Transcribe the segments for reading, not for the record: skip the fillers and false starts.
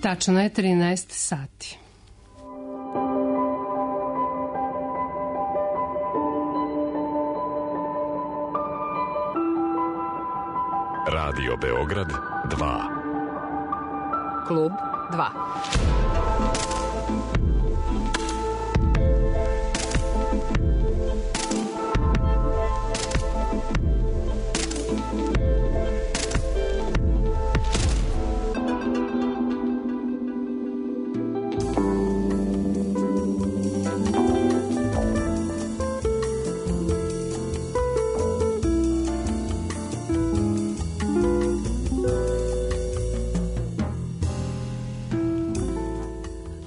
Tačno je 13 sati. Radio Beograd 2. Klub 2.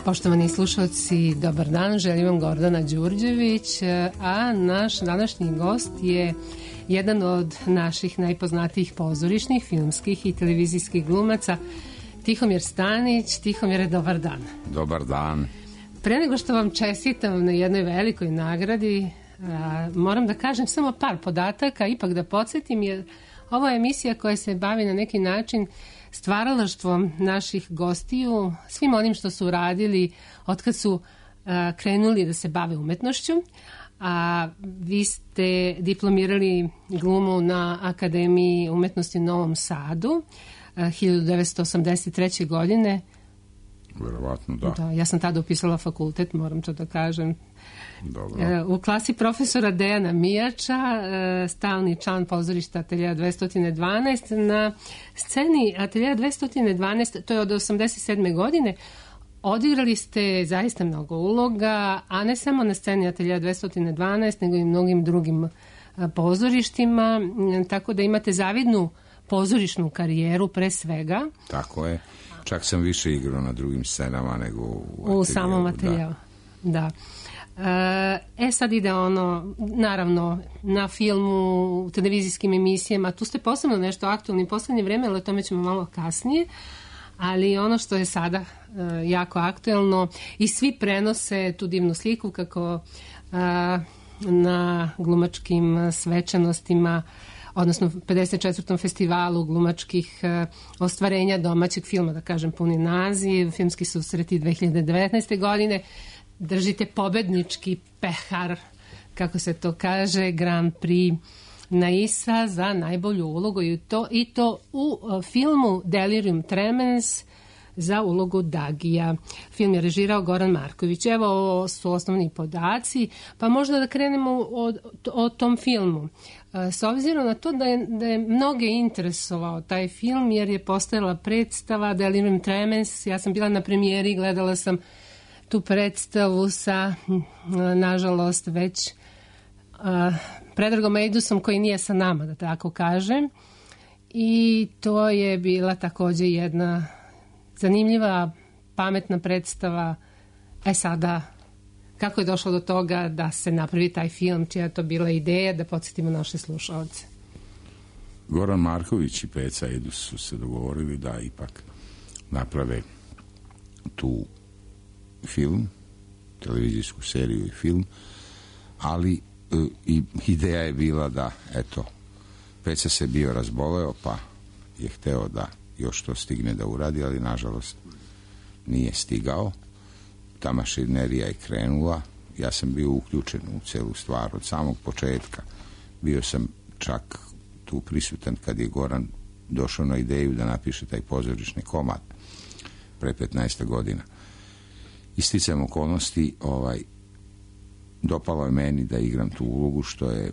Poštovani slušalci, dobar dan, želim vam Gordana Đurđević, a naš današnji gost je jedan od naših najpoznatijih pozorišnih, filmskih i televizijskih glumaca, Tihomir Stanić. Tihomire, dobar dan. Dobar dan. Pre nego što vam čestitam na jednoj velikoj nagradi, moram da kažem samo par podataka, ipak da podsjetim, jer ovo je emisija koja se bavi na neki način stvaralaštvom naših gostiju, svim onim što su uradili otkad su krenuli da se bave umetnošću. A vi ste diplomirali glumu na Akademiji umetnosti u Novom Sadu 1983. godine. Verovatno, da. Ja sam tada upisala fakultet, moram to da kažem. Dobro. U klasi profesora Dejana Mijača, stalni član pozorišta Ateljea 212. Na sceni Ateljea 212, to je od 87. godine, odigrali ste zaista mnogo uloga, a ne samo na sceni Ateljea 212, nego i mnogim drugim pozorištima, tako da imate zavidnu pozorišnu karijeru pre svega. Tako je. Čak sam više igrao na drugim scenama nego u samom Ateljeu. Da. Sad ide ono, naravno, na filmu, televizijskim emisijama, tu ste posebno nešto aktualni u poslednje vreme, ali o tome ćemo malo kasnije, ali ono što je sada jako aktuelno i svi prenose tu divnu sliku kako na glumačkim svečanostima, odnosno 54. festivalu glumačkih ostvarenja domaćeg filma, da kažem puni naziv, filmski susreti 2019. godine, držite pobednički pehar, kako se to kaže, Grand Prix Naisa za najbolju ulogu i to u filmu Delirium Tremens za ulogu Dagija. Film je režirao Goran Marković. Evo, ovo su osnovni podaci, pa možda da krenemo o tom filmu. S obzirom na to da je mnoge interesovao taj film, jer je postojala predstava Delirium Tremens, ja sam bila na premijeri, gledala sam tu predstavu sa, nažalost, već Predragom Ejdusom, koji nije sa nama, da tako kažem. I to je bila takođe jedna zanimljiva, pametna predstava. Sada, kako je došlo do toga da se napravi taj film, čija je to bila ideja, da podsjetimo naše slušalce? Goran Marković i Peca Edus su se dogovorili da ipak naprave tu film, televizijsku seriju i film, ali i ideja je bila da, eto, Peca se bio razboleo, pa je hteo da još to stigne da uradi, ali nažalost nije stigao. Ta mašinerija je krenula, ja sam bio uključen u celu stvar od samog početka. Bio sam čak tu prisutan kad je Goran došao na ideju da napiše taj pozorišni komad pre 15 godina. Isticajem okolnosti, dopalo je meni da igram tu ulogu, što je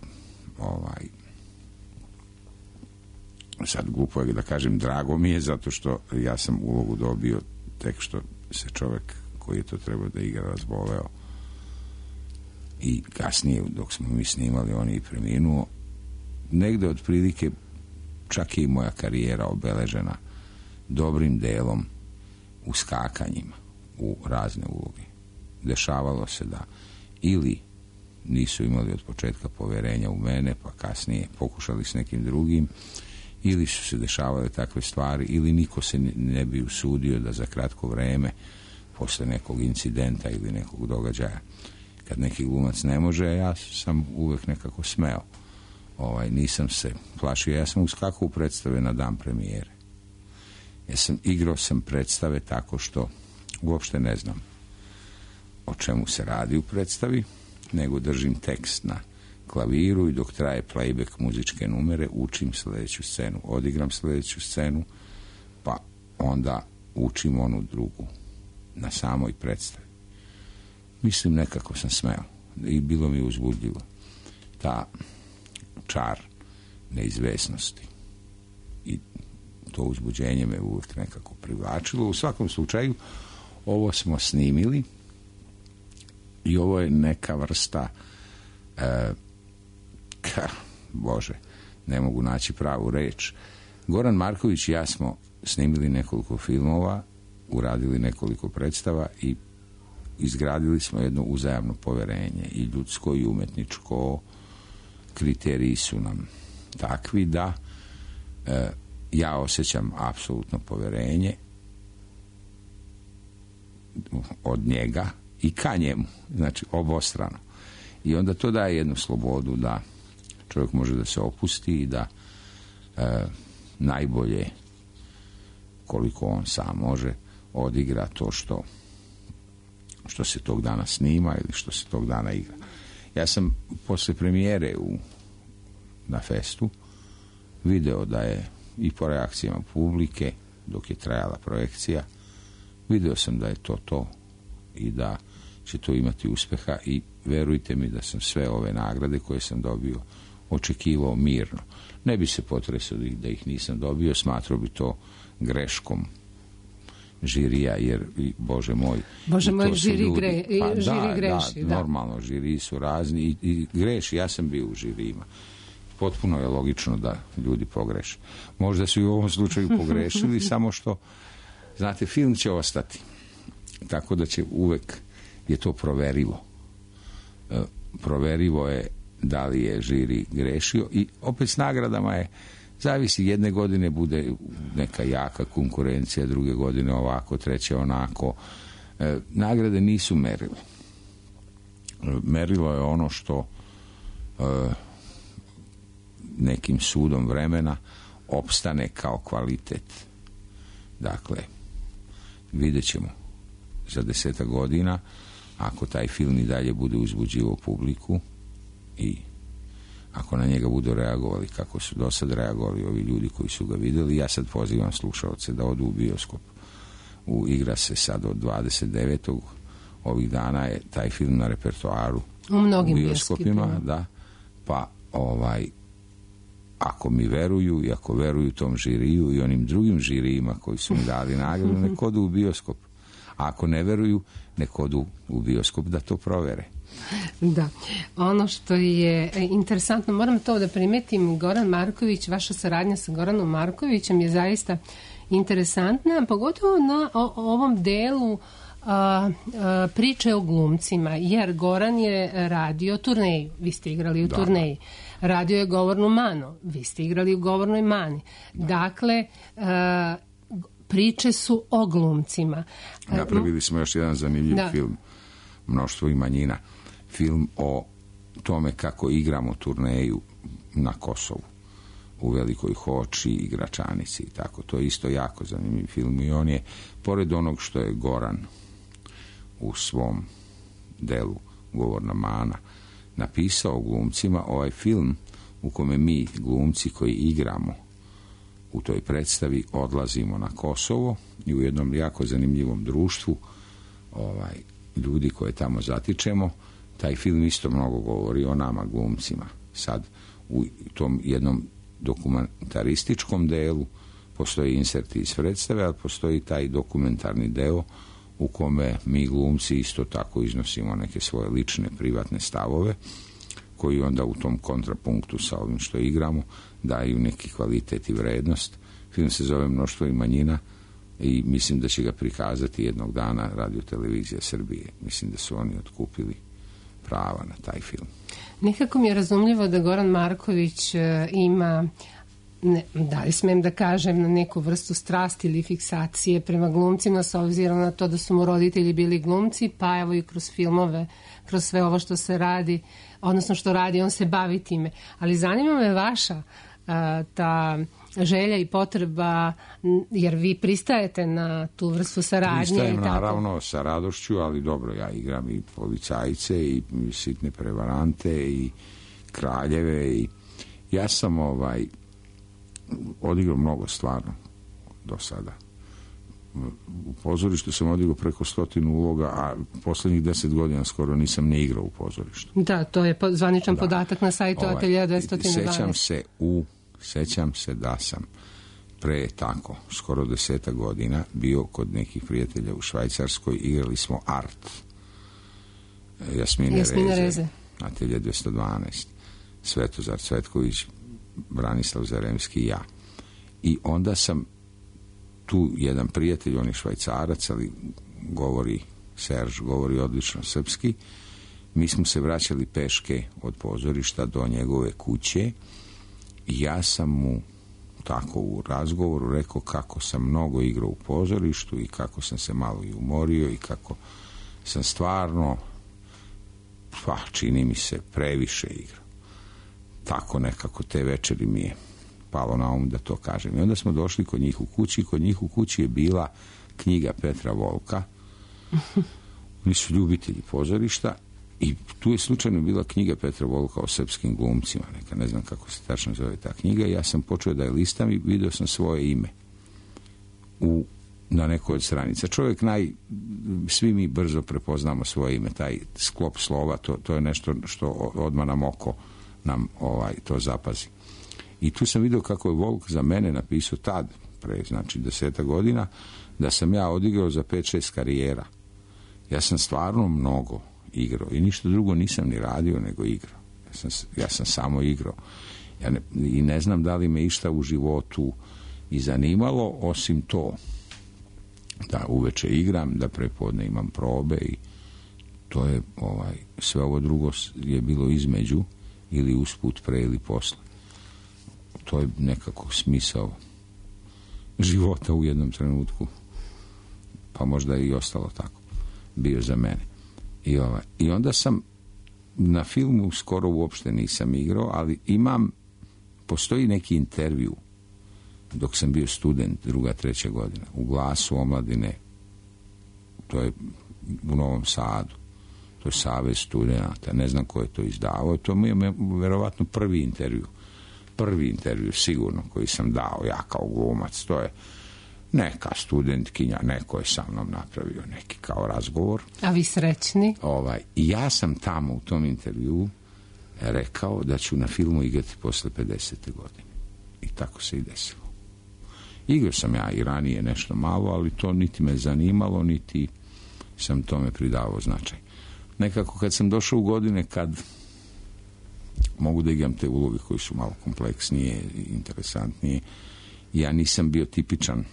sad glupo je da kažem, drago mi je, zato što ja sam ulogu dobio tek što se čovek koji je to trebao da igra razboleo, i kasnije dok smo mi snimali on je i preminuo. Negde otprilike čak je i moja karijera obeležena dobrim delom uskakanjima u razne uloge. Dešavalo se da ili nisu imali od početka poverenja u mene, pa kasnije pokušali s nekim drugim, ili su se dešavale takve stvari, ili niko se ne bi usudio da za kratko vreme, posle nekog incidenta ili nekog događaja, kad neki glumac ne može, ja sam uvek nekako smeo. Nisam se plašio, ja sam uskakao u predstave na dan premijere. Igrao sam predstave tako što uopšte ne znam o čemu se radi u predstavi, nego držim tekst na klaviru i dok traje playback muzičke numere učim sljedeću scenu, odigram sljedeću scenu, pa onda učim onu drugu na samoj predstavi. Mislim, nekako sam smeo i bilo mi uzbudljivo. Ta čar neizvesnosti i to uzbuđenje me uvijek nekako privlačilo. U svakom slučaju, ovo smo snimili i ovo je neka vrsta Bože, ne mogu naći pravu reč. Goran Marković i ja smo snimili nekoliko filmova, uradili nekoliko predstava i izgradili smo jedno uzajamno poverenje i ljudsko i umetničko. Kriteriji su nam takvi da ja osjećam apsolutno poverenje od njega i ka njemu, znači obostrano. I onda to daje jednu slobodu da čovjek može da se opusti i da najbolje, koliko on sam može, odigra to što se tog dana snima ili što se tog dana igra. Ja sam posle premijere na festu video da je i po reakcijama publike, dok je trajala projekcija, video sam da je to i da će to imati uspeha i verujte mi da sam sve ove nagrade koje sam dobio očekivao mirno. Ne bi se potresao da ih nisam dobio, smatrao bi to greškom žirija, jer Bože moj, žiri greši. Da, normalno, žiri su razni i greši. Ja sam bio u žirijima. Potpuno je logično da ljudi pogreše. Možda su i u ovom slučaju pogrešili, samo što, znate, film će ostati. Tako da će uvek, je to proverivo. Proverivo je da li je žiri grešio i opet s nagradama je zavisi, jedne godine bude neka jaka konkurencija, druge godine ovako, treće onako. Nagrade nisu merilo. Merilo je ono što nekim sudom vremena opstane kao kvalitet. Dakle, vidjet ćemo za 10 godina, ako taj film i dalje bude uzbuđivao publiku i ako na njega budu reagovali kako su do sad reagovali ovi ljudi koji su ga vidjeli. Ja sad pozivam slušalce da odu u bioskop. Igra se sad od 29. ovih dana je taj film na repertoaru u mnogim bioskopima, da, pa ako mi veruju i ako veruju tom žiriju i onim drugim žirijima koji su mi dali nagradu, nek odu u bioskop. A ako ne veruju, nek odu u bioskop da to provere. Da, ono što je interesantno, moram to da primetim, Goran Marković, vaša saradnja sa Goranom Markovićem je zaista interesantna, pogotovo na ovom delu priče o glumcima, jer Goran je radio turneju, vi ste igrali u turneji, radio je govornu manu, vi ste igrali u govornoj mani. Dakle, priče su o glumcima. Napravili smo još jedan zanimljiv film, Mnoštvo i manjina. Film o tome kako igramo turneju na Kosovu, u Velikoj Hoči i Gračanici i tako. To je isto jako zanimljiv film i on je, pored onog što je Goran u svom delu Govorna mana napisao glumcima, ovaj film u kome mi glumci koji igramo u toj predstavi odlazimo na Kosovo i u jednom jako zanimljivom društvu ljudi koje tamo zatičemo. Taj film isto mnogo govori o nama glumcima. Sad u tom jednom dokumentarističkom delu postoji inserti iz predstave, ali postoji taj dokumentarni deo u kome mi glumci isto tako iznosimo neke svoje lične, privatne stavove koji onda u tom kontrapunktu sa ovim što igramo daju neki kvalitet i vrednost. Film se zove Mnoštvo i manjina i mislim da će ga prikazati jednog dana Radio-televizija Srbije. Mislim da su oni otkupili prava na taj film. Nekako mi je razumljivo da Goran Marković ima, da li smem da kažem, na neku vrstu strasti ili fiksacije prema glumcima, s obzirom na to da su mu roditelji bili glumci, pa evo i kroz filmove, kroz sve ovo što se radi, odnosno što radi, on se bavi time. Ali zanima me vaša ta želja i potreba, jer vi pristajete na tu vrstu saradnje. Pristajem naravno sa radošću, ali dobro, ja igram i policajce i sitne prevarante i kraljeve i ja sam odigrao mnogo stvarno do sada. U pozorištu sam odigrao preko 100 uloga, a posljednjih 10 godina skoro nisam ne igrao u pozorištu. Da, to je zvaničan podatak na sajtu Ateljea 212. Sećam se da sam pre tako, skoro 10 godina bio kod nekih prijatelja u Švajcarskoj, igrali smo Art. Jasmine Reze. Ateljea 212. Svetozar Cvetković, Branislav Zaremski i ja. I onda sam tu jedan prijatelj, on je Švajcarac, ali Serž govori odlično srpski. Mi smo se vraćali peške od pozorišta do njegove kuće i ja sam mu tako u razgovoru rekao kako sam mnogo igrao u pozorištu i kako sam se malo i umorio i kako sam stvarno, čini mi se, previše igrao. Tako nekako te večeri mi je palo na um da to kažem. I onda smo došli kod njih u kući. Kod njih u kući je bila knjiga Petra Volka. Oni su ljubitelji pozorišta i tu je slučajno bila knjiga Petra Volka o srpskim glumcima. Ne znam kako se tačno zove ta knjiga. Ja sam počeo da je listam i vidio sam svoje ime na nekoj od stranica. Svi mi brzo prepoznamo svoje ime. Taj sklop slova, to je nešto što odmah nam oko to zapazi. I tu sam vidio kako je Volk za mene napisao tad, pre 10 godina, da sam ja odigrao za 5-6 karijera. Ja sam stvarno mnogo igrao i ništa drugo nisam ni radio nego igrao. Ja sam samo igrao. I ne znam da li me išta u životu i zanimalo, osim to da uveče igram, da prepodne imam probe i to je sve ovo drugo je bilo između ili usput, pre ili posle. To je nekako smisao života u jednom trenutku, pa možda i ostalo tako bio za mene. I onda sam na filmu skoro uopšte nisam igrao, ali postoji neki intervju dok sam bio student 2. 3. godina u Glasu omladine, to je u Novom Sadu, to je Savez studenata, ne znam ko je to izdavao, to mi je verovatno prvi intervju sigurno koji sam dao ja kao glumac. To je neka studentkinja, neko je sa mnom napravio neki kao razgovor. A vi srećni? I ja sam tamo u tom intervju rekao da ću na filmu igrati posle 50. godine. I tako se i desilo. Igrao sam ja i ranije nešto malo, ali to niti me zanimalo, niti sam tome pridavao značaj. Nekako kad sam došao u godine kad mogu da igram te uloge koji su malo kompleksnije i interesantnije, ja nisam bio tipičan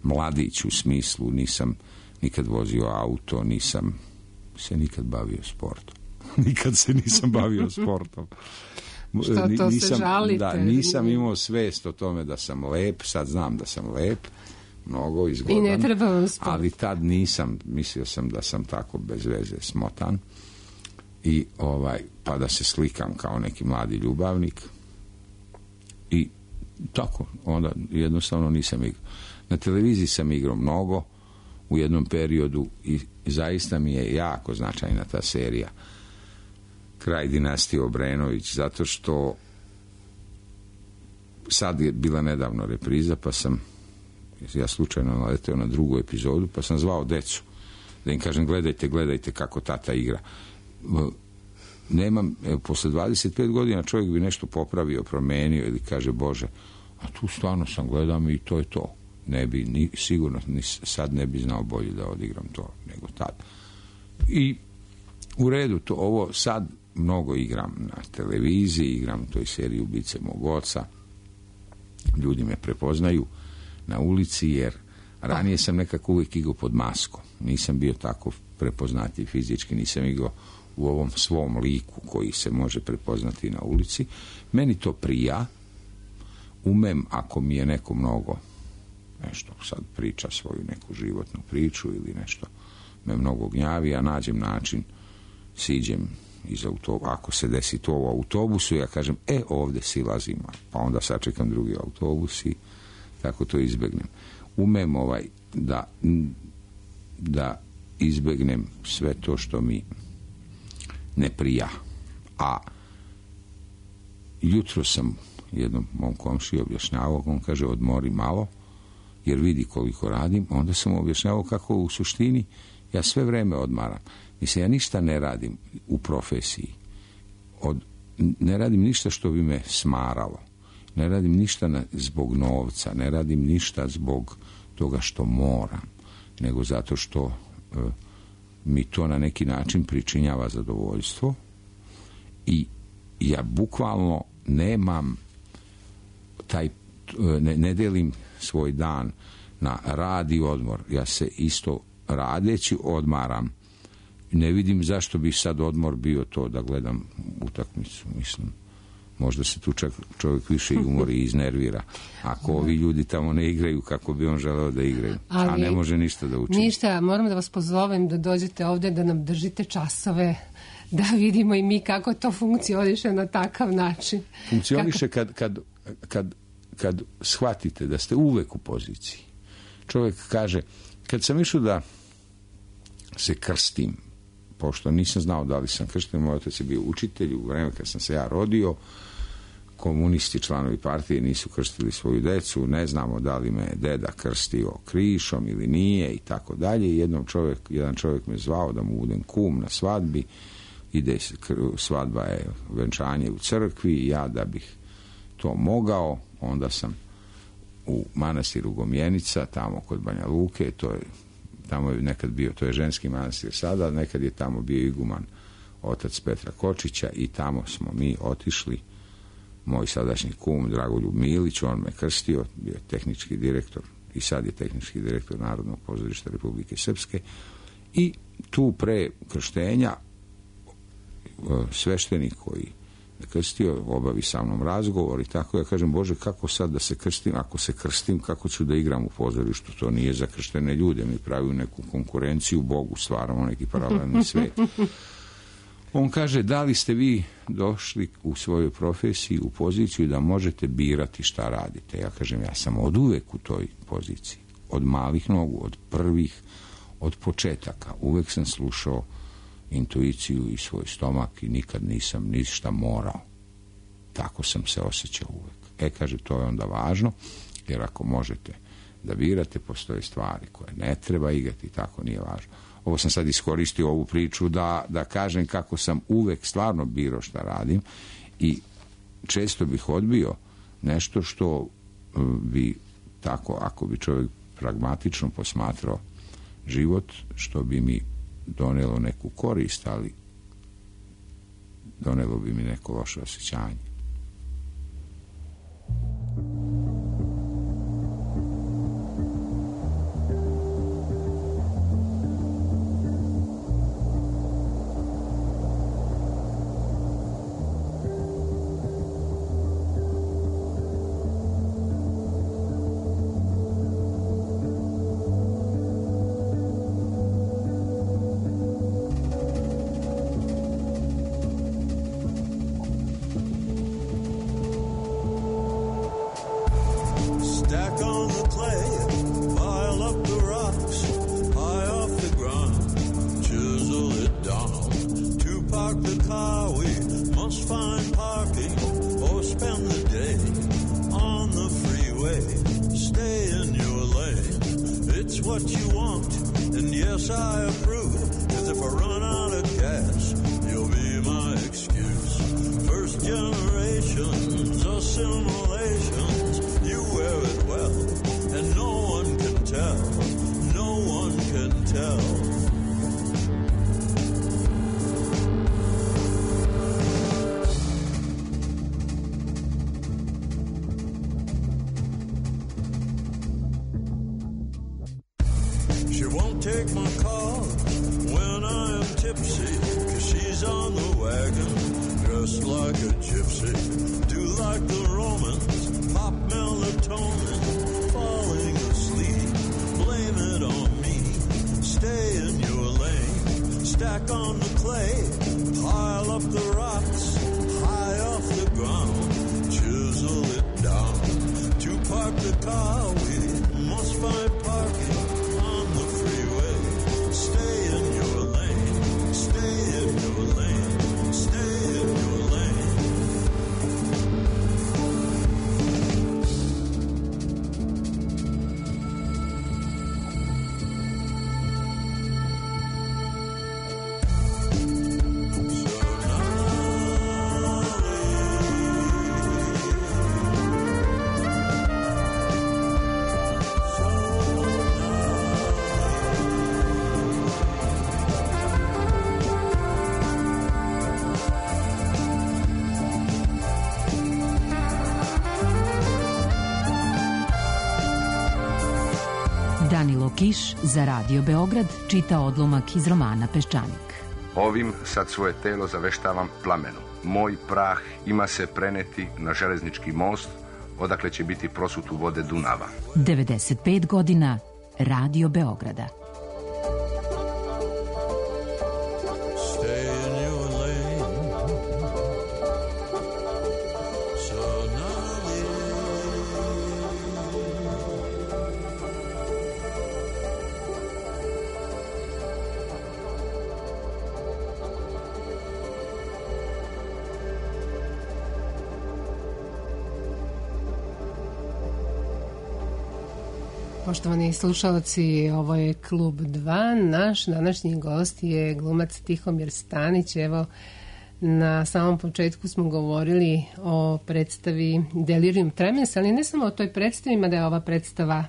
mladić u smislu, nisam nikad vozio auto, nisam se nikad bavio sportom. Nikad se nisam bavio sportom. Što to se žalite? Da, nisam imao svest o tome da sam lep, sad znam da sam lep, mnogo izgodan. I ne treba vam sport. Ali tad nisam, mislio sam da sam tako bez veze smotan i pa da se slikam kao neki mladi ljubavnik i tako, onda jednostavno nisam igrao. Na televiziji sam igrao mnogo u jednom periodu i zaista mi je jako značajna ta serija Kraj dinastije Obrenović, zato što sad je bila nedavno repriza, pa sam ja slučajno naleteo na drugu epizodu, pa sam zvao decu da im kažem gledajte kako tata igra. Posle 25 godina čovjek bi nešto popravio, promenio ili kaže Bože, a tu stvarno sam gledam i to je to. Sigurno sad ne bi znao bolje da odigram to nego tad. I u redu, ovo sad mnogo igram na televiziji, igram u toj seriji Ubice mog oca. Ljudi me prepoznaju na ulici, jer ranije sam nekako uvijek igrao pod maskom. Nisam bio tako prepoznatljiv fizički, nisam igrao u ovom svom liku koji se može prepoznati na ulici. Meni to prija. Umem, ako mi je neko mnogo nešto sad priča svoju neku životnu priču ili nešto me mnogo gnjavi, ja nađem način, siđem iz autobusa. Ako se desi to u autobusu, ja kažem, ovdje silazim, pa onda sačekam drugi autobus i tako to izbegnem. Umem da izbegnem sve to što mi ne prija. A jutro sam jednom mom komšiji objašnjavao, on kaže odmori malo, jer vidi koliko radim, onda sam objašnjavao kako u suštini ja sve vreme odmaram. Mislim, ja ništa ne radim u profesiji. Ne radim ništa što bi me smaralo. Ne radim ništa zbog novca, ne radim ništa zbog toga što moram, nego zato što mi to na neki način pričinjava zadovoljstvo i ja bukvalno nemam ne delim svoj dan na rad i odmor. Ja se isto radeći odmaram. Ne vidim zašto bi sad odmor bio to da gledam utakmicu, mislim. Možda se tu čak čovjek više i umori i iznervira. Ako ovi ljudi tamo ne igraju kako bi on želeo da igraju. A ne može ništa da učini. Ništa, moram da vas pozovem da dođete ovdje, da nam držite časove, da vidimo i mi kako to funkcioniše na takav način. Funkcioniše kad shvatite da ste uvek u poziciji. Čovjek kaže, kad sam išao da se krstim, pošto nisam znao da li sam kršten, moj otac je bio učitelj u vreme kad sam se ja rodio, komunisti, članovi partije nisu krstili svoju decu, ne znamo da li me deda krstio krišom ili nije i tako dalje. Jedan čovjek me zvao da mu budem kum na svadbi, svadba je venčanje u crkvi i ja da bih to mogao, onda sam u manastiru Gomjenica, tamo kod Banja Luke, tamo je nekad bio, to je ženski manastir sada, nekad je tamo bio iguman otac Petra Kočića i tamo smo mi otišli, moj sadašnji kum Dragoljub Milić, on me krstio, bio je tehnički direktor i sad je tehnički direktor Narodnog pozorišta Republike Srpske i tu pre krštenja sveštenik koji me krstio obavi sa mnom razgovor i tako ja kažem, Bože, kako sad da se krstim, ako se krstim, kako ću da igram u pozorištu, to nije za krštene ljude, mi pravimo neku konkurenciju Bogu, stvaramo neki paralelni svet. On kaže, da li ste vi došli u svojoj profesiji u poziciju da možete birati šta radite? Ja kažem, ja sam od uvek u toj poziciji, od malih nogu, od prvih, od početaka, uvek sam slušao intuiciju i svoj stomak i nikad nisam ništa morao. Tako sam se osjećao uvek. Kaže, to je onda važno, jer ako možete da birate, postoje stvari koje ne treba igrati, tako nije važno. Ovo sam sad iskoristio ovu priču da kažem kako sam uvek stvarno birao šta radim i često bih odbio nešto što bi tako, ako bi čovjek pragmatično posmatrao život, što bi mi donelo neku korist, ali donelo bi mi neko loše osjećanje. stack on the clay, pile up the rocks, high off the ground, chisel it down. To park the car, we must find parking on the freeway. Stay in your lane, stay in your lane, stay in your lane. Danilo Kiš za Radio Beograd čita odlomak iz romana Peščanik. Ovim sad svoje telo zaveštavam plamenu. Moj prah ima se preneti na železnički most, odakle će biti prosut u vode Dunava. 95 godina Radio Beograda. Stay in your lane. Sonali. Poštovani slušalci, ovo je Klub 2. Naš današnji gost je glumac Tihomir Stanić. Evo, na samom početku smo govorili o predstavi Delirium Tremens, ali ne samo o toj predstavi, mada je ova predstava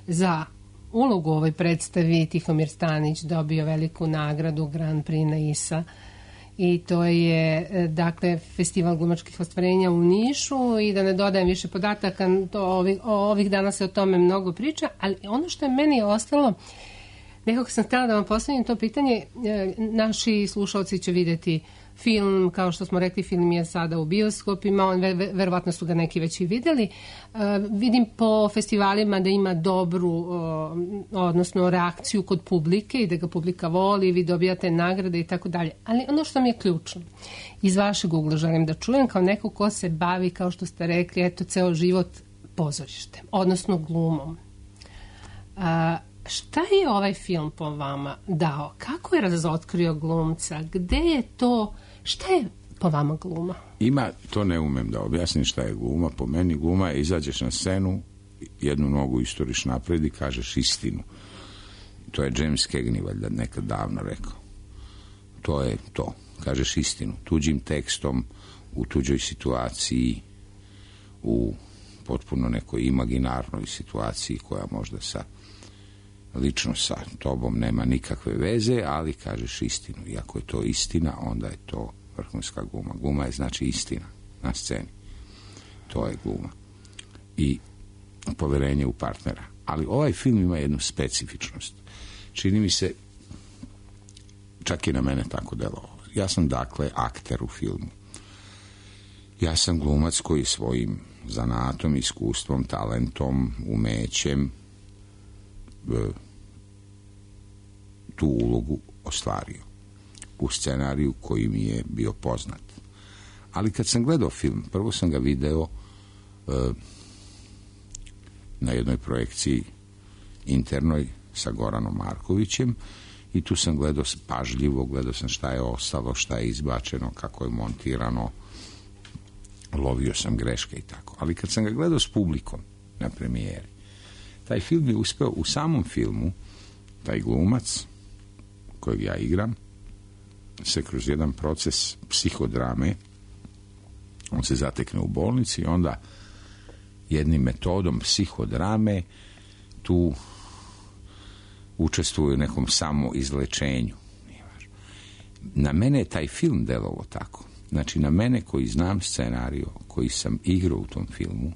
za ulogu u ovoj predstavi Tihomir Stanić dobio veliku nagradu Grand Prix Naisa. I to je, dakle, festival glumačkih ostvarenja u Nišu i da ne dodajem više podataka, ovih dana se o tome mnogo priča, ali ono što je meni ostalo, nekako sam htjela da vam postavim to pitanje, naši slušalci će vidjeti film, kao što smo rekli, film je sada u bioskopima, verovatno su ga neki već i vidjeli. Vidim po festivalima da ima dobru, odnosno reakciju kod publike i da ga publika voli, vi dobijate nagrade i tako dalje. Ali ono što mi je ključno, iz vašeg ugla želim da čujem kao neko ko se bavi, kao što ste rekli, eto, ceo život pozorištem, odnosno glumom. Šta je ovaj film po vama dao? Kako je razotkrio glumca? Gde je to? Šta je po vama gluma? Ima, to ne umem da objasnim šta je gluma. Po meni gluma je izađeš na scenu, jednu nogu isturiš napred i kažeš istinu. To je James Cagney valjda nekad davno rekao. To je to. Kažeš istinu. Tuđim tekstom, u tuđoj situaciji, u potpuno nekoj imaginarnoj situaciji koja možda lično sa tobom nema nikakve veze, ali kažeš istinu. I ako je to istina, onda je to vrhunska gluma. Gluma je znači istina na sceni. To je gluma. I poverenje u partnera. Ali ovaj film ima jednu specifičnost. Čini mi se, čak i na mene tako delovalo. Ja sam dakle akter u filmu. Ja sam glumac koji svojim zanatom, iskustvom, talentom, umećem tu ulogu ostvario u scenariju koji mi je bio poznat. Ali kad sam gledao film, prvo sam ga video na jednoj projekciji internoj sa Goranom Markovićem i tu sam gledao pažljivo, gledao sam šta je ostalo, šta je izbačeno, kako je montirano, lovio sam greške i tako. Ali kad sam ga gledao s publikom na premijeri, taj film je uspeo u samom filmu, taj glumac kojeg ja igram se kroz jedan proces psihodrame, on se zatekne u bolnici i onda jednim metodom psihodrame tu učestvuje u nekom samoizlečenju. Na mene je taj film delovao tako. Znači, na mene koji znam scenariju, koji sam igrao u tom filmu,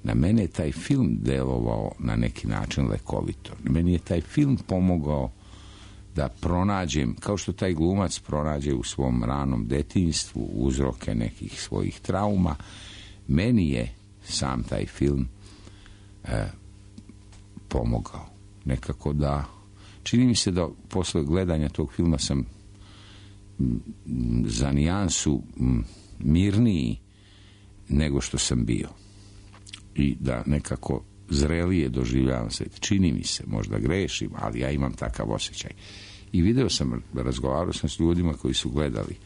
na mene je taj film delovao na neki način lekovito. Meni je taj film pomogao da pronađem, kao što taj glumac pronađe u svom ranom detinjstvu uzroke nekih svojih trauma, meni je sam taj film pomogao. Nekako da, čini mi se da posle gledanja tog filma sam za nijansu mirniji nego što sam bio. I da nekako zrelije doživljavam svet. Čini mi se, možda grešim, ali ja imam takav osjećaj. I video sam, razgovarao sam s ljudima koji su gledali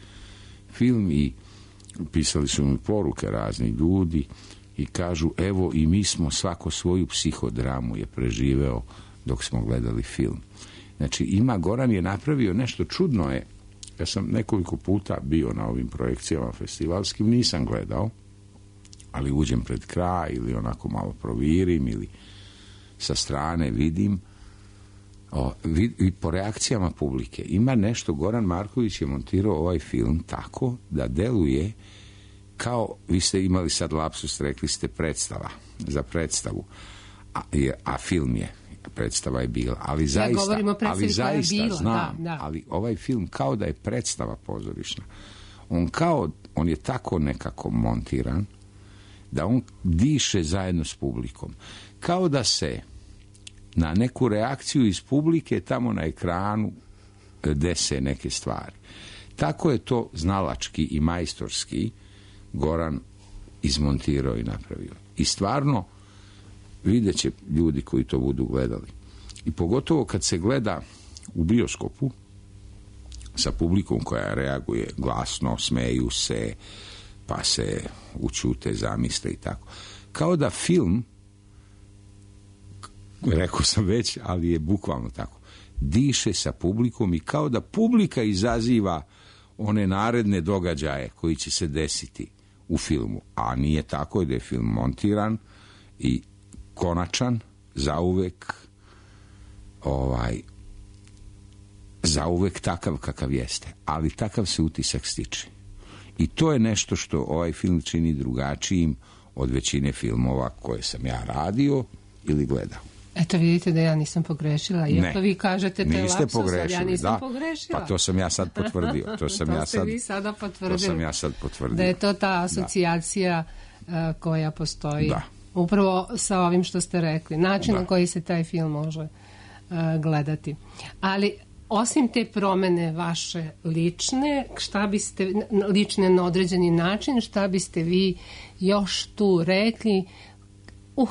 film i pisali su mi poruke razni ljudi i kažu, evo i mi smo svako svoju psihodramu je preživeo dok smo gledali film. Znači, Goran je napravio nešto čudno je. Ja sam nekoliko puta bio na ovim projekcijama festivalskim, nisam gledao, ali uđem pred kraj ili onako malo provirim ili sa strane vidim i po reakcijama publike. Ima nešto, Goran Marković je montirao ovaj film tako da deluje kao, vi ste imali sad lapsus, rekli ste predstava, za predstavu, a film je, predstava je bila, ali zaista, znam, da. Ali ovaj film kao da je predstava pozorišna. On je tako nekako montiran da on diše zajedno s publikom. Kao da se na neku reakciju iz publike tamo na ekranu dese neke stvari. Tako je to znalački i majstorski Goran izmontirao i napravio. I stvarno vidjet će ljudi koji to budu gledali. I pogotovo kad se gleda u bioskopu sa publikom koja reaguje glasno, smeju se, pa se učute, zamisle i tako. Kao da film, rekao sam već, ali je bukvalno tako, diše sa publikom i kao da publika izaziva one naredne događaje koji će se desiti u filmu. A nije tako, da je film montiran i konačan, zauvek takav kakav jeste. Ali takav se utisak stiče. I to je nešto što ovaj film čini drugačijim od većine filmova koje sam ja radio ili gledao. Eto, vidite da ja nisam pogrešila. Iako vi kažete te lapsus, ali ja nisam pogrešila. Pa to sam ja sad potvrdio. To ste vi sada potvrdili. To sam ja sad potvrdio. Da je to ta asocijacija koja postoji. Upravo sa ovim što ste rekli. Način na koji se taj film može gledati. Ali osim te promene vaše lične, lične na određeni način, šta biste vi još tu rekli?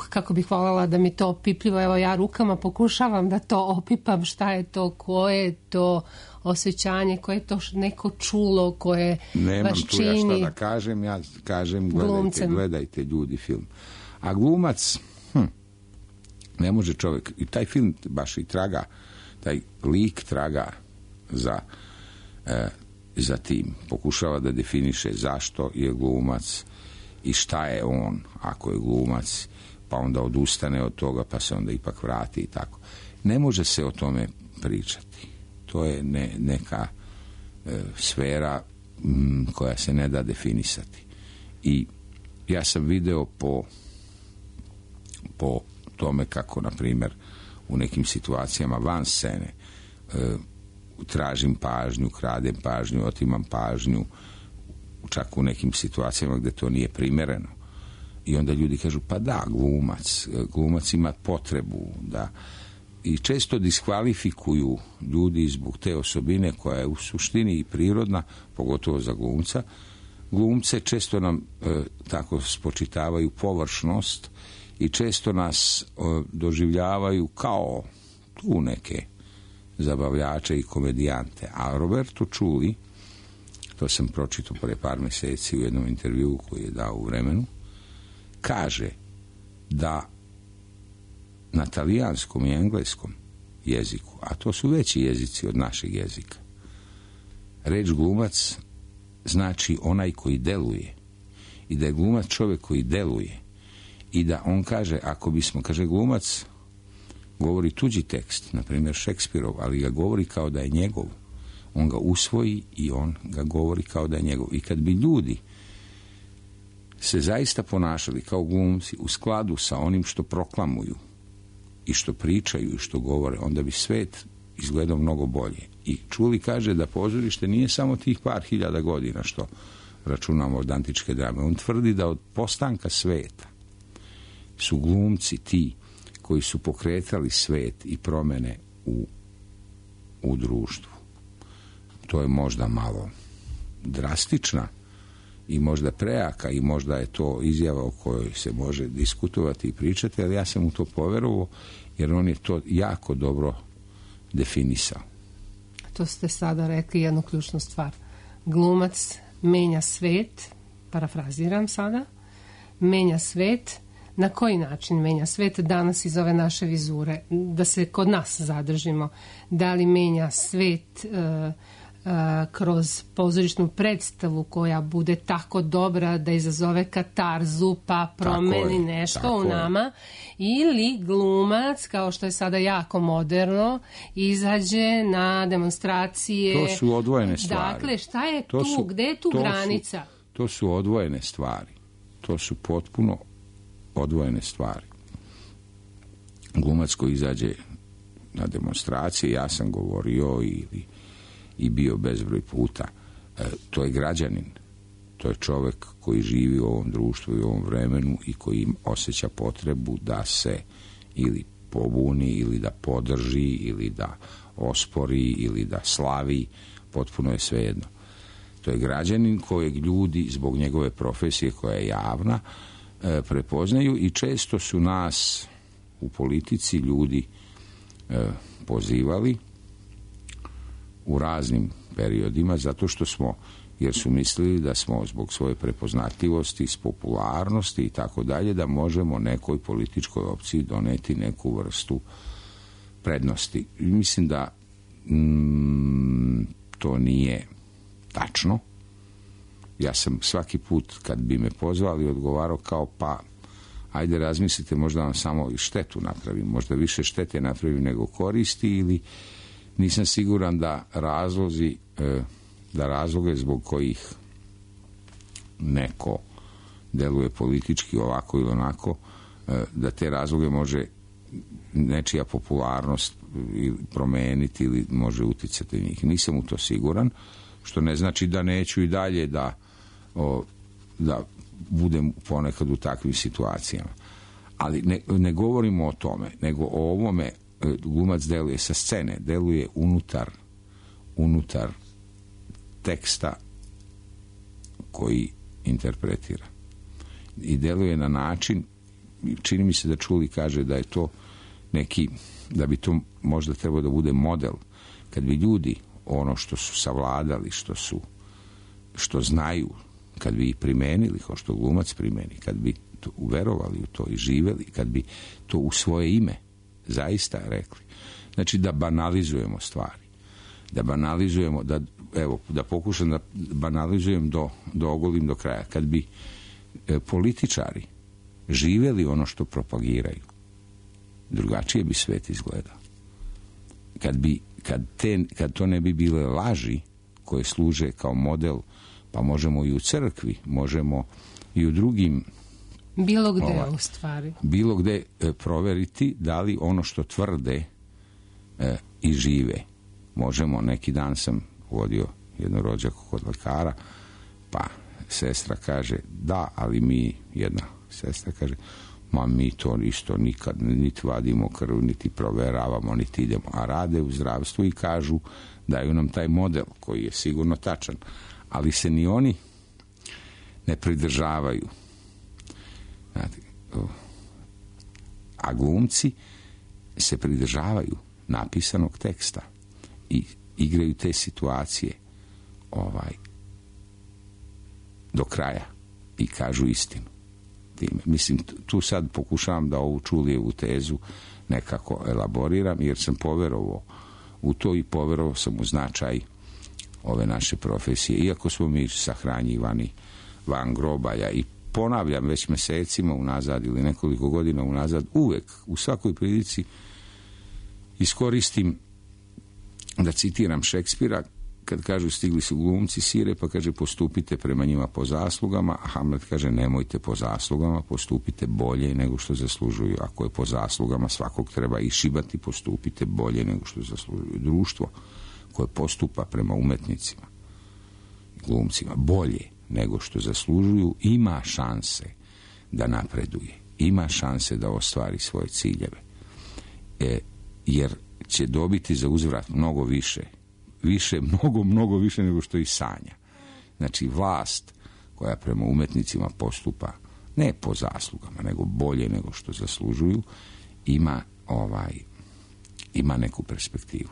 Kako bih voljela da mi to opipljivo, evo ja rukama pokušavam da to opipam, šta je to, koje je to osjećanje, koje je to neko čulo, koje vas čini. Nemam tu ja šta da kažem, ja kažem gledajte ljudi film. A glumac, ne može čovjek, i taj film baš i traga, taj lik traga za tim, pokušava da definiše zašto je glumac i šta je on ako je glumac, pa onda odustane od toga, pa se onda ipak vrati i tako. Ne može se o tome pričati. To je neka sfera koja se ne da definisati. I ja sam video po tome kako, na primjer, u nekim situacijama van scene tražim pažnju, kradem pažnju, otimam pažnju, čak u nekim situacijama gdje to nije primereno. I onda ljudi kažu, pa da, glumac ima potrebu da, i često diskvalifikuju ljudi zbog te osobine koja je u suštini i prirodna, pogotovo za glumca. Glumce često nam tako spočitavaju površnost i često nas doživljavaju kao tu neke zabavljače i komedijante. A Roberto Čuli, to sam pročitao pre par mjeseci u jednom intervjuu koji je dao u Vremenu, kaže da na talijanskom i engleskom jeziku, a to su veći jezici od našeg jezika, reč glumac znači onaj koji deluje i da je glumac čovjek koji deluje i da on kaže, ako bismo, kaže, glumac govori tuđi tekst, na primjer Šekspirov, ali ga govori kao da je njegov, on ga usvoji i on ga govori kao da je njegov. I kad bi ljudi se zaista ponašali kao glumci u skladu sa onim što proklamuju i što pričaju i što govore, onda bi svet izgledao mnogo bolje. I Čuli kaže da pozorište nije samo tih par hiljada godina što računamo od antičke drame. On tvrdi da od postanka sveta su glumci ti koji su pokretali svet i promene u društvu. to je možda malo drastična i možda prejaka i možda je to izjava o kojoj se može diskutovati i pričati, ali ja sam u to poverovao jer on je to jako dobro definisao. To ste sada rekli jednu ključnu stvar. Glumac menja svet, parafraziram sada, menja svet. Na koji način menja svet danas iz ove naše vizure? Da se kod nas zadržimo. Da li menja svet kroz pozorišnu predstavu koja bude tako dobra da izazove katarzu pa promeni nešto u nama, ili glumac, kao što je sada jako moderno, izađe na demonstracije. To su odvojene stvari. Dakle, šta je tu? Gde je tu granica? To su odvojene stvari. To su potpuno odvojene stvari. Glumac koji izađe na demonstracije, ja sam govorio i bio bezbroj puta, to je građanin, to je čovjek koji živi u ovom društvu i u ovom vremenu i koji osjeća potrebu da se ili pobuni ili da podrži ili da ospori ili da slavi, potpuno je svejedno. To je građanin kojeg ljudi zbog njegove profesije koja je javna prepoznaju i često su nas u politici ljudi pozivali u raznim periodima zato što smo, jer su mislili da smo zbog svoje prepoznatljivosti, popularnosti i tako dalje, da možemo nekoj političkoj opciji doneti neku vrstu prednosti. Mislim da to nije tačno. Ja sam svaki put kad bi me pozvali odgovarao kao pa ajde razmislite, možda vam samo i štetu napravim, možda više štete napravim nego koristi, ili nisam siguran da razloge zbog kojih neko deluje politički ovako ili onako, da te razloge može nečija popularnost promeniti ili može uticati njih. Nisam u to siguran, što ne znači da neću i dalje da budem ponekad u takvim situacijama. Ali ne govorimo o tome, nego o ovome. Glumac deluje sa scene, deluje unutar teksta koji interpretira. I deluje na način, čini mi se da Čuli kaže da je to neki, da bi to možda trebalo da bude model, kad bi ljudi ono što su savladali, što znaju, kad bi ih primenili kao što glumac primeni, kad bi to uverovali u to i živeli, kad bi to u svoje ime zaista rekli. Znači da banalizujemo stvari. Da banalizujemo, da pokušam da banalizujem do ogolim do kraja. Kad bi političari živeli ono što propagiraju, drugačije bi svet izgledao. Kad to ne bi bile laži koje služe kao model, pa možemo i u crkvi, možemo i u drugim bilo gde u stvari. Bilo gde proveriti da li ono što tvrde i žive. Možemo, neki dan sam vodio jednu rođaku kod lekara, pa sestra kaže da, ali jedna sestra kaže ma mi to isto nikad niti vadimo krv, niti proveravamo, niti idemo, a rade u zdravstvu i kažu, daju nam taj model koji je sigurno tačan, ali se ni oni ne pridržavaju. Znate, a glumci se pridržavaju napisanog teksta i igraju te situacije do kraja i kažu istinu. Mislim, tu sad pokušavam da ovu Čulijevu tezu nekako elaboriram, jer sam poverovao u to i poverovao sam u značaj ove naše profesije. Iako smo mi sahranjivani van grobalja i ponavljam već mesecima unazad ili nekoliko godina unazad, uvek u svakoj prilici iskoristim da citiram Šekspira kad kažu stigli su glumci sire, pa kaže postupite prema njima po zaslugama, a Hamlet kaže nemojte po zaslugama, postupite bolje nego što zaslužuju. Ako je po zaslugama, svakog treba išibati, postupite bolje nego što zaslužuju. Društvo koje postupa prema umetnicima, glumcima, bolje nego što zaslužuju, ima šanse da napreduje, ima šanse da ostvari svoje ciljeve, jer će dobiti za uzvrat mnogo više više, mnogo više nego što ih sanja. Znači, vlast koja prema umetnicima postupa ne po zaslugama, nego bolje nego što zaslužuju, ima neku perspektivu.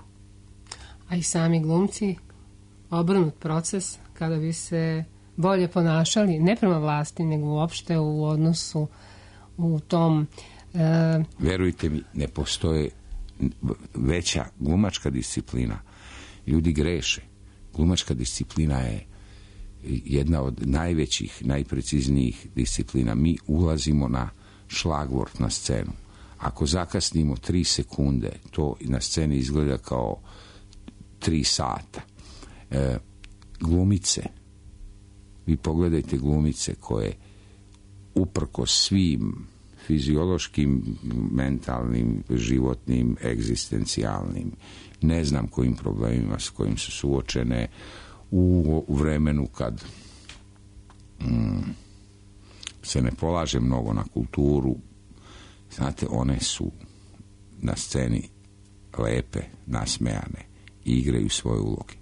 A i sami glumci, obrnut proces, kada bi se bolje ponašali, ne prema vlasti, nego uopšte u odnosu u tom... Verujte mi, ne postoje veća glumačka disciplina. Ljudi greše. Glumačka disciplina je jedna od najvećih, najpreciznijih disciplina. Mi ulazimo na šlagvort na scenu. Ako zakasnimo 3 sekunde, to na sceni izgleda kao 3 sata. Glumice, vi pogledajte glumice koje uprkos svim fiziološkim, mentalnim, životnim, egzistencijalnim, ne znam kojim problemima s kojim su suočene u vremenu kad se ne polaže mnogo na kulturu. Znate, one su na sceni lepe, nasmejane i igraju svoje uloge.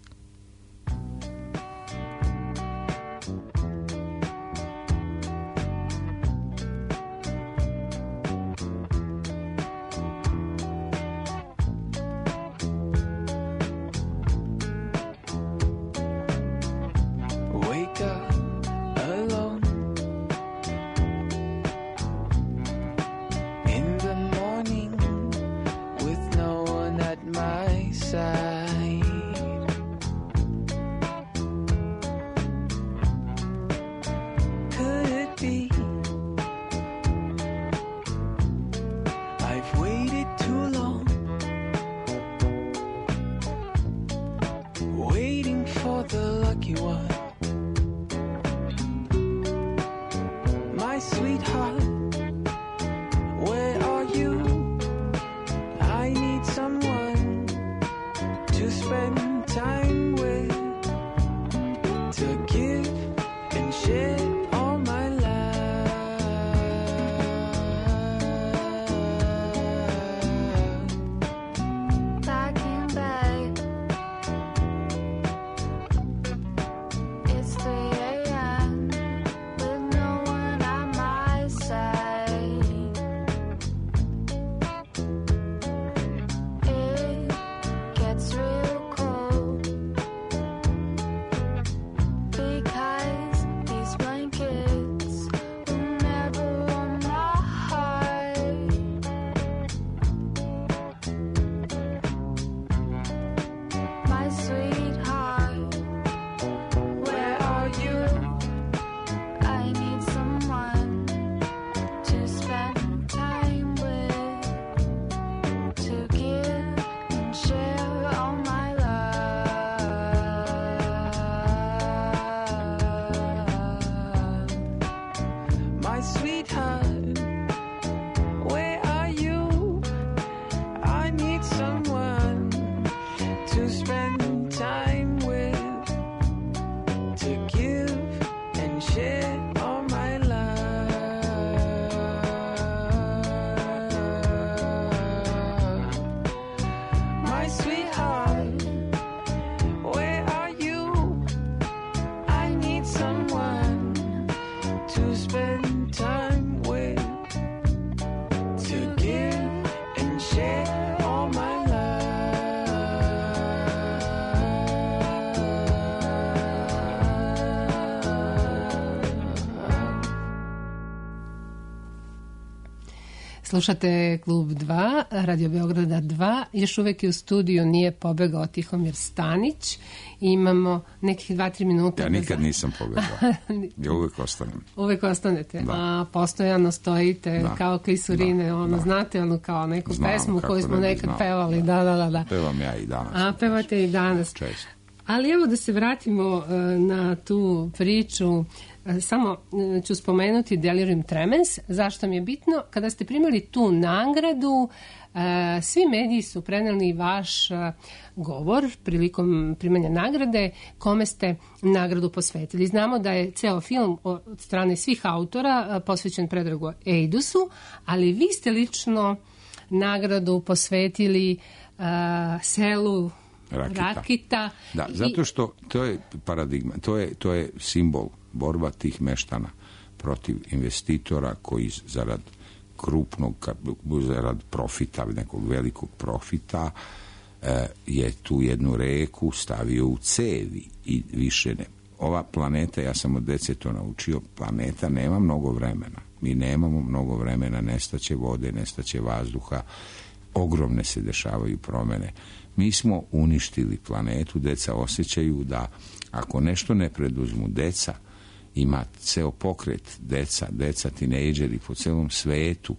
Slušate Klub 2, Radio Beograda 2. Još uvek je u studiju, nije pobegao Tihomir Stanić. Imamo nekih 2-3 minuta. Ja nikad nisam pobegao. Ja uvek ostanem. Uvek ostanete. Da. A postojano stojite kao klisurine. Da. Znate kao neku pesmu koju smo nekad pevali. Da. Da. Pevam ja i danas. A pevate i danas. Često. Ali evo da se vratimo na tu priču. Samo ću spomenuti Delirium Tremens. Zašto mi je bitno? Kada ste primili tu nagradu, svi mediji su preneli vaš govor prilikom primanja nagrade, kome ste nagradu posvetili. Znamo da je ceo film od strane svih autora posvećen Predragu Ejdusu, ali vi ste lično nagradu posvetili selu Rakita. Da, zato što to je paradigma, to je simbol borba tih meštana protiv investitora koji zarad krupnog, zarad profita, nekog velikog profita, je tu jednu reku stavio u cevi i više ne. Ova planeta, ja sam od dece to naučio, planeta nema mnogo vremena. Mi nemamo mnogo vremena, nestaće vode, nestaće vazduha, ogromne se dešavaju promene. Mi smo uništili planetu, deca osjećaju da ako nešto ne preduzmu, deca, ima ceo pokret, deca tinejdžeri po celom svetu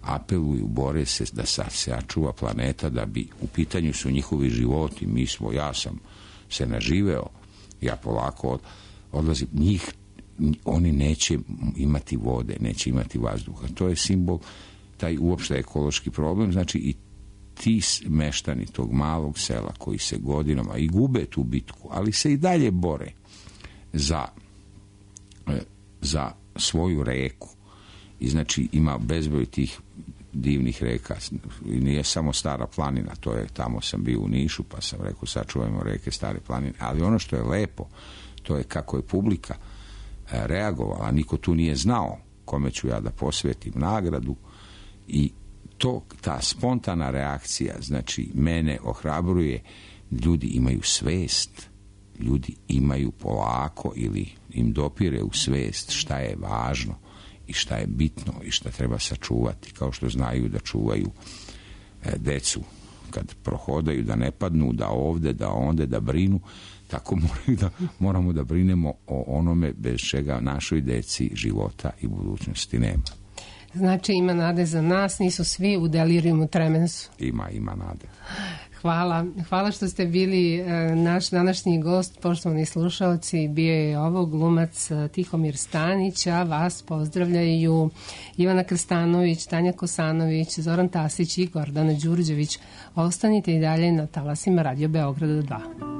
apeluju, bore se da se sačuva planeta, da bi u pitanju su njihovi životi. Ja sam se naživeo, ja polako odlazim, oni neće imati vode, neće imati vazduha. To je simbol, taj uopšte ekološki problem, znači i ti meštani tog malog sela koji se godinama i gube tu bitku, ali se i dalje bore za svoju reku. I znači ima bezbroj tih divnih reka i nije samo Stara planina, to je, tamo sam bio u Nišu pa sam rekao sačuvajmo reke Stare planine, ali ono što je lepo to je kako je publika reagovala, niko tu nije znao kome ću ja da posvetim nagradu i ta spontana reakcija, znači mene ohrabruje, ljudi imaju svest, ljudi imaju polako ili im dopire u svest šta je važno i šta je bitno i šta treba sačuvati, kao što znaju da čuvaju decu kad prohodaju, da ne padnu, da ovde, da onde, da brinu, tako moramo da brinemo o onome bez čega našoj deci života i budućnosti nema. Znači ima nade za nas, nisu svi u delirijumu tremensu. Ima nade. Hvala što ste bili naš današnji gost, poštovani slušalci. Bio je ovo glumac Tihomir Stanić, a vas pozdravljaju Ivana Krstanović, Tanja Kosanović, Zoran Tasić i Gordana Đurđević. Ostanite i dalje na talasima Radio Beograda 2.